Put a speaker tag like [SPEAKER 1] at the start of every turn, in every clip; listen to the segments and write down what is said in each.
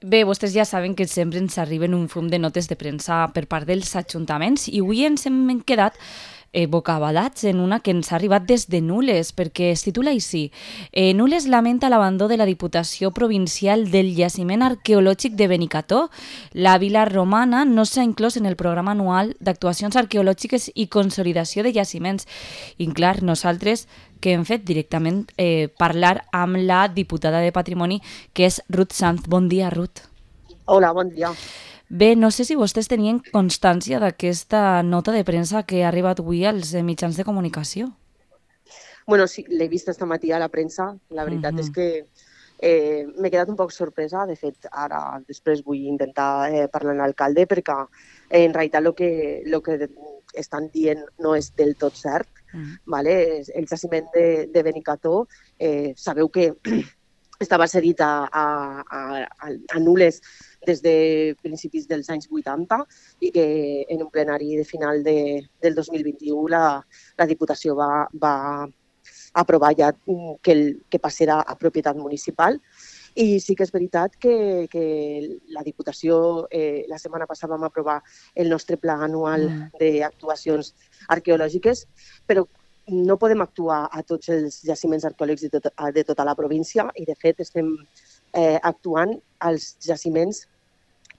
[SPEAKER 1] Bé, vostès ja saben que sempre ens arriben un fum de notes de premsa per part dels ajuntaments i avui ens hem quedat bocabadats en una que ens ha arribat des de Nules, perquè es titula així. Nules lamenta l'abandó de la Diputació Provincial del Jaciment Arqueològic de Benicarló. La vila romana no s'ha inclòs en el programa anual d'actuacions arqueològiques i consolidació de jaciments. I clar, nosaltres que hem fet directament parlar amb la diputada de Patrimoni, que és Ruth Sanz. Bon dia, Ruth.
[SPEAKER 2] Hola, bon dia.
[SPEAKER 1] Bé, no sé si vostès tenien constància d'aquesta nota de premsa que ha arribat avui als mitjans de comunicació.
[SPEAKER 2] Bueno, sí, l'he vist esta matí a la premsa. La veritat és
[SPEAKER 1] Mhm.
[SPEAKER 2] que m'he quedat un poc sorpresa. De fet, ara després vull intentar parlar amb l'alcalde perquè en realitat el que estan dient no és del tot cert.
[SPEAKER 1] Mm.
[SPEAKER 2] Vale? El jaciment de Benicarló, sabeu que estava cedit a Nules des de principis dels anys 80 i que en un plenari de final del 2021 la Diputació va aprovar ja que passarà a propietat municipal. I sí que és veritat que la Diputació, la setmana passada vam aprovar el nostre pla anual
[SPEAKER 1] Mm.
[SPEAKER 2] d'actuacions arqueològiques, però no podem actuar a tots els jaciments arqueològics de tota la província i, de fet, estem actuant als jaciments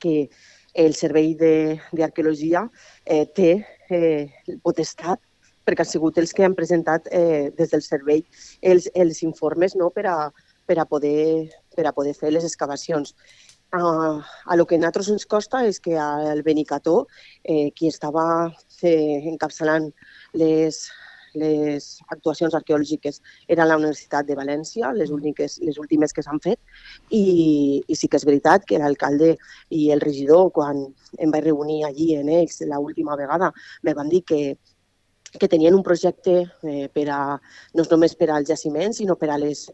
[SPEAKER 2] que el Servei d'Arqueologia té potestat, perquè han sigut els que han presentat des del servei els informes, no, per a poder fer les excavacions. A lo que a nosaltres ens costa és que al Benicarló, qui estava encapçalant les actuacions arqueològiques era la Universitat de València, les últimes que s'han fet, i sí que és veritat que l'alcalde i el regidor, quan em vaig reunir allí en ells l'última vegada, me van dir que tenien un projecte no només per als jaciments, sinó per a les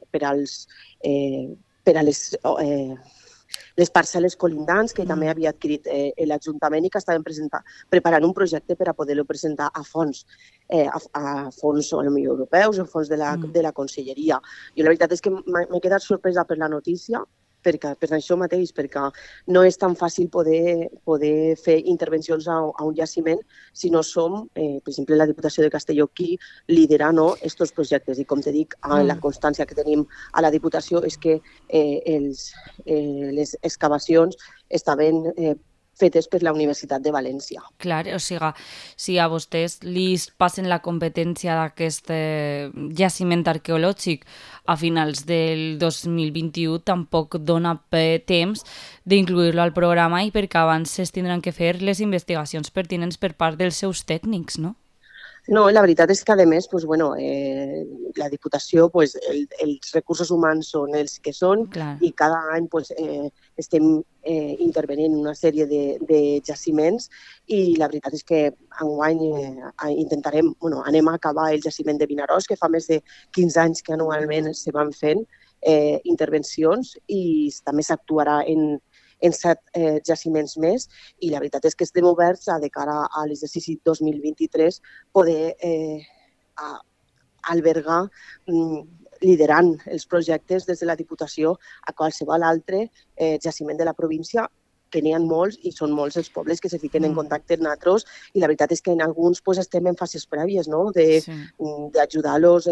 [SPEAKER 2] parcel·les colindants que també
[SPEAKER 1] Mm.
[SPEAKER 2] havia adquirit l'Ajuntament i que estaven preparant un projecte per a poder-lo presentar a fons, a fons europeus o fons
[SPEAKER 1] Mm.
[SPEAKER 2] de la Conselleria. Jo la veritat és que m'he quedat sorpresa per la notícia, per això mateix, perquè no és tan fàcil poder fer intervencions a un jaciment si no som, per exemple, la Diputació de Castelló qui lidera, no, estos projectes. I com te dic, la
[SPEAKER 1] Mm.
[SPEAKER 2] constància que tenim a la Diputació és que les excavacions estaven fetes per la Universitat de València.
[SPEAKER 1] Clar, o sigui, si a vostès li passen la competència d'aquest jaciment arqueològic a finals del 2021, tampoc dona temps d'incluir-lo al programa i perquè abans es tindran que fer les investigacions pertinents per part dels seus tècnics, no?
[SPEAKER 2] No, la veritat és que, a més, pues, bueno, la Diputació, pues, els recursos humans són els que són
[SPEAKER 1] Clar.
[SPEAKER 2] i cada any pues, estem intervenint en una sèrie de jaciments i la veritat és que enguany intentarem, bueno, anem a acabar el jaciment de Vinaròs, que fa més de 15 anys que anualment se van fent intervencions i també s'actuarà en 7 jaciments més i la veritat és que estem oberts a, de cara a l'exercici 2023, poder albergar liderant els projectes des de la Diputació a qualsevol altre jaciment de la província, que n'hi ha molts i són molts els pobles que se fiquen en
[SPEAKER 1] Mm.
[SPEAKER 2] contacte amb nosaltres i la veritat és que en alguns pues, estem en fases prèvies, no?
[SPEAKER 1] Sí.
[SPEAKER 2] D'ajudar-los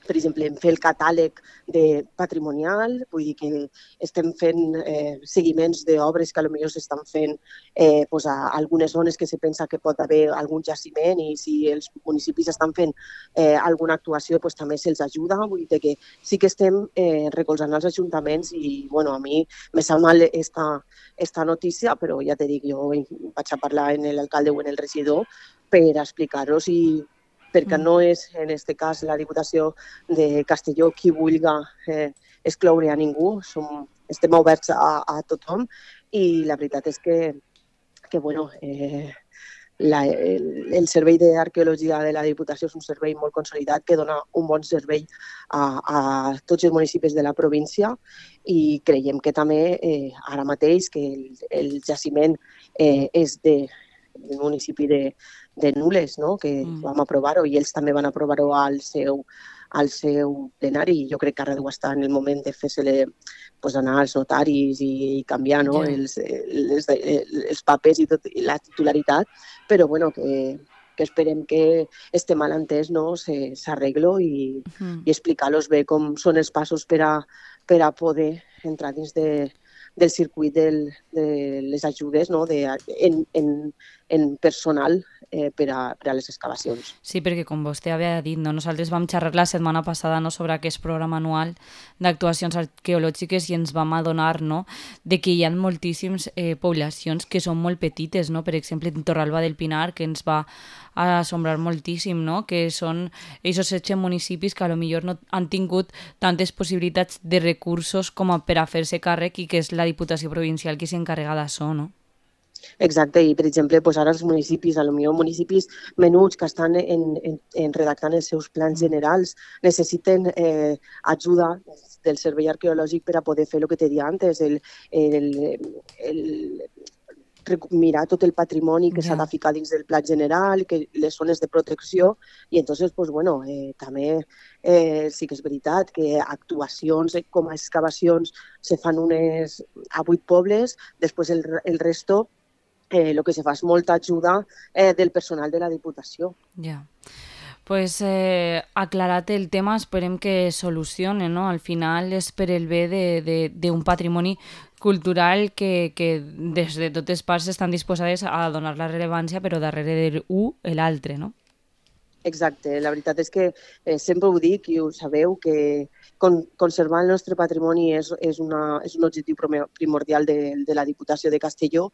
[SPEAKER 2] per exemple, en fer el catàleg patrimonial, vull dir que estem fent seguiments d'obres que potser s'estan fent pues, a algunes zones que se pensa que pot haver algun jaciment i si els municipis estan fent alguna actuació pues, també se'ls ajuda. Vull dir que sí que estem recolzant els ajuntaments i bueno, a mi me sap mal esta notícia, però ja te dic, jo vaig a parlar amb l'alcalde o amb el regidor per explicar-los perquè
[SPEAKER 1] Mm.
[SPEAKER 2] no és, en aquest cas, la Diputació de Castelló qui vulga excloure a ningú, estem oberts a tothom i la veritat és que bueno, el servei d'arqueologia de la Diputació és un servei molt consolidat que dona un bon servei a tots els municipis de la província i creiem que també ara mateix que el jaciment és del municipi de Nules, no? Que
[SPEAKER 1] Mm.
[SPEAKER 2] vam aprovar-ho i ells també van aprovar-ho al seu plenari. Jo crec que ara deu estar en el moment de fer-se-li pues, anar als notaris i canviar no?
[SPEAKER 1] Ja.
[SPEAKER 2] els papers i tot, i la titularitat, però bueno, que esperem que este malentès no, s'arreglo i explicar-los bé com són els passos per a poder entrar dins del circuit de les ajudes no? En personal per a les excavacions.
[SPEAKER 1] Sí, perquè com vostè havia dit, no? Nosaltres vam xerrar la setmana passada no? sobre aquest programa anual d'actuacions arqueològiques i ens vam adonar no? de que hi ha moltíssimes poblacions que són molt petites, no? Per exemple, en Torralba del Pinar, que ens va assombrar moltíssim, no? Que són aquests 16 municipis que a lo millor no han tingut tantes possibilitats de recursos com per a fer-se càrrec i que és la Diputació Provincial qui s'encarrega d'això, no?
[SPEAKER 2] Exacte, i per exemple, doncs ara els municipis, potser municipis menuts que estan redactant els seus plans generals, necessiten ajuda del Servei Arqueològic per a poder fer el que te dia antes, mirar tot el patrimoni que s'ha de ficar dins del pla general, que les zones de protecció, i entonces, pues, bueno, també sí que és veritat que actuacions com a excavacions se fan unes a 8 pobles, després el resto el que se fa és molta ajuda del personal de la Diputació.
[SPEAKER 1] Ja. Pues aclarat el tema, esperem que solucione, no? Al final és per el bé d'un patrimoni cultural que des de totes parts estan disposades a donar la rellevància, però darrere d'un l'altre, no?
[SPEAKER 2] Exacte, la veritat és que sempre ho dic i ho sabeu, que conservar el nostre patrimoni és un objectiu primordial de la Diputació de Castelló,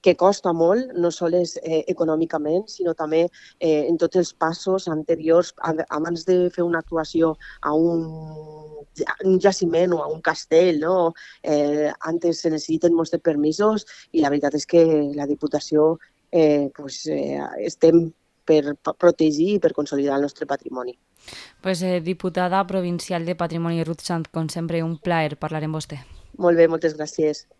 [SPEAKER 2] que costa molt, no sols econòmicament, sinó també en tots els passos anteriors, abans de fer una actuació a un jaciment o a un castell, no? Antes se necessiten molts permisos i la veritat és que la Diputació estem per protegir i per consolidar el nostre patrimoni.
[SPEAKER 1] Pues, diputada provincial de Patrimoni Ruth Sant, com sempre, un plaer parlar amb vostè.
[SPEAKER 2] Molt bé, moltes gràcies.